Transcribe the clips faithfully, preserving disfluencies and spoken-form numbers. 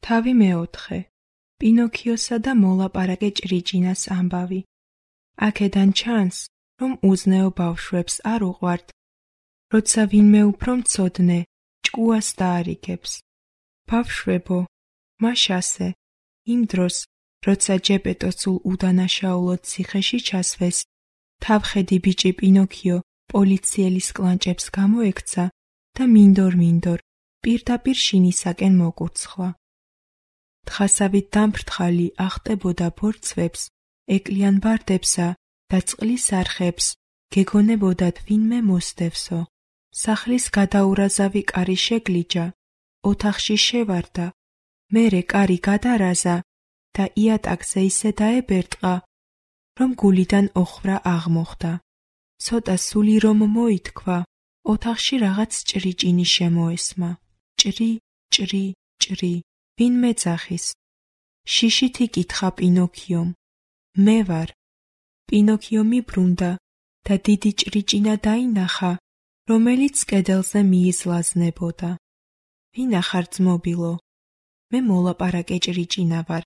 თავი მეოთხე. პინოქიოსა და მოლაპარაკე ჭრიჭინას ამბავი. აქედან ჩანს, რომ უზნეო ბავშვებს არ უყვართ, როცა ვინმე უფრო მცოდნე ჭკუას დაარიგებს. ბავშვებო, მაშ ასე, იმ დროს, როცა ჯეპეტო სულ უდანაშაულოდ ციხეში ჩასვეს, თავხედი ბიჭი პინოქიო პოლიციელის კლანჭებს გამოექცა და მინდორ-მინდორ პირდაპირ შინისაკენ მოკურცხლა. თხასავით დამფრთხალი ახტებოდა ბორცვებს, ეკლიან ბარდებსა და წყლის არხებს, გეგონებოდათ ვინმე მოსდევსო. სახლის გადაურაზავი კარი შეგლიჯა, ოთახში შევარდა, მერე კარი გადარაზა და იატაკზე ისე დაებერტყა, რომ გულიდან ოხრა აღმოხდა. ცოტა სული რომ მოითქვა, ოთახში რაღაც ჭრიჭინი შემოესმა. ჭრი, ჭრი, ჭრი, ვინმე ძახის. შიშით იკითხა პინოქიომ. მე ვარ. პინოქიო მიბრუნდა და დიდი ჭრიჭინა დაინახა, რომელიც კედელზე მიიზლაზნებოდა. ვინახარ ძმობილო? მე მოლაპარაკე ჭრიჭინა ვარ.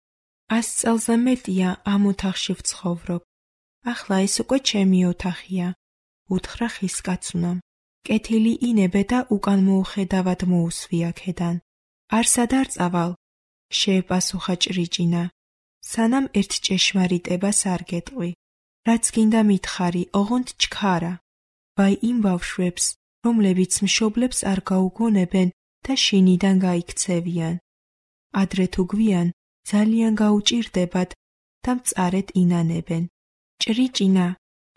ას წელზე მეტია ამ ოთახში ვცხოვრობ. ახლა ეს უკვე ჩემი ოთახია, უთხრა ხის კაცუნამ. კეთილი ინებე და უკან მოუხედავად მოუსვი აქედან. არსად არ წავალ, შეეპასუხა ჭრიჭინა, სანამ ერთ ჭეშმარიტებას არ გეტყვი. რაც გინდა მითხარი, ოღონდ ჩქარა. ვაი იმ ბავშვებს, რომლებიც მშობლებს არ გაუგონებენ და შინიდან გაიქცევიან. ადრე თუ გვიან, ძალიან გაუჭირდებათ და მწარედ ინანებენ. ჭრიჭინა,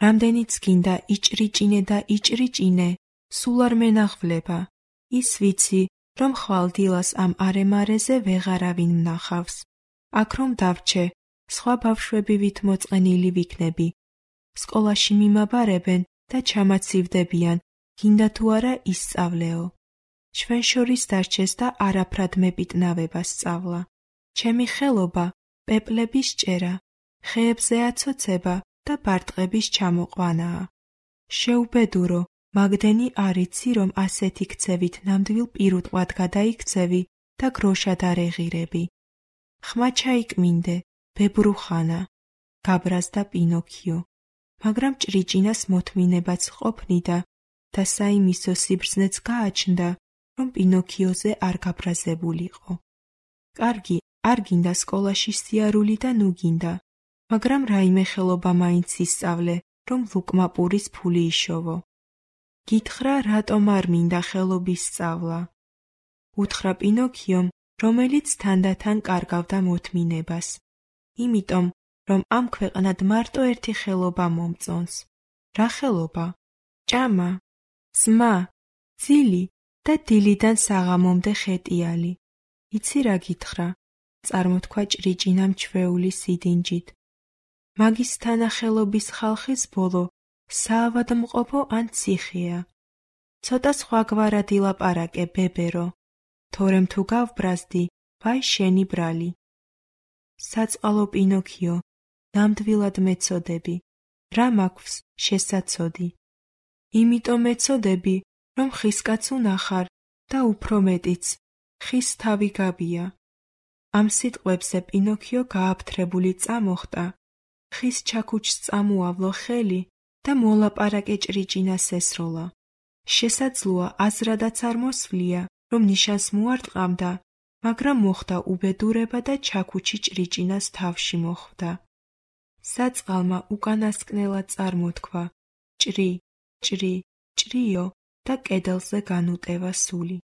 რამდენიც გინდა იჭრიჭინე და იჭრიჭინე, სულ არ მენახვლება. ის ვიცი, რომ ხვალ დილას ამ არემარეზე ვეღარავინ მნახავს. აქ რომ დავრჩე, სხვა ბავშვები ვით მოწყენილი ვიქნები. სკოლაში მიმაბარებენ და ჩამაცივდებიან, გინდა თუ არა ისწავლეო. ჩვენ შორის დარჩეს და არაფრად მეპიტნავება სწავლა. ჩემი ხელობა პეპლების ჭერა, ხეებზე აცოცება და ბარტყების ჩამოყვანაა. შეუბედურო, მაგდენი არ იცი, რომ ასეთი ქცევით ნამდვილ პირუტყვად გადაიქცევი და გროშად არ ეღირები. ხმა ჩაიკმინდე, ბებრუხანა, გაბრაზდა პინოქიო. მაგრამ ჭრიჭინას მოთმინებაც ყოფნიდა და საიმისო სიბრძნეც გააჩნდა, რომ პინოქიოზე არ გაბრაზებულიყო. კარგი, არ გინდა სკოლაში სიარული და ნუ გინდა, მაგრამ რაიმე ხელობა მაინც ისწავლე, რომ ლუკმა პურის ფული იშოვო. გითხრა, რატომ არ მინდა ხელობის სწავლა? უთხრა პინოქიომ, რომელიც თანდათან კარგავდა მოთმინებას. იმიტომ, რომ ამ ქვეყნად მარტო ერთი ხელობა მომწონს. რა ხელობა? ჭამა, ზმა, ძილი და დილიდან საღამომდე ხეტიალი. იცი რა გითხრა? წარმოთქვა ჭრიჭინამ ჩვეული სიდინჯით. მაგის თანახელობის ხალხის ბოლო საავადმყოფო ან ციხეა. ცოტა სხვაგვარად ილაპარაკე, ბებერო. თორემ თუ გავბრაზდი, ვაი შენი ბრალი. საწყალო პინოქიო, ნამდვილად მეწოდები. რა მაქვს შესაცოდი? იმიტომ მეწოდები, რომ ხისკაც უნახარ და უფრო მეტიც, ხის თავი გაბია. ამ სიტყვებზე პინოქიო გააფთრებული წამოხტა, ხის ჩაქუჩს წამოავლო ხელი და მოლაპარაკე ჭრიჭინას ესროლა. შესაძლოა აზრადაც არ მოსვლია, რომ ნიშანს მოარტყამდა, მაგრამ მოხდა უბედურება და ჩაქუჩი ჭრიჭინას თავში მოხვდა. საწყალმა უკანასკნელად წარმოთქვა ჭრი, ჭრი, ჭრიო და კედელზე განუტევა სული.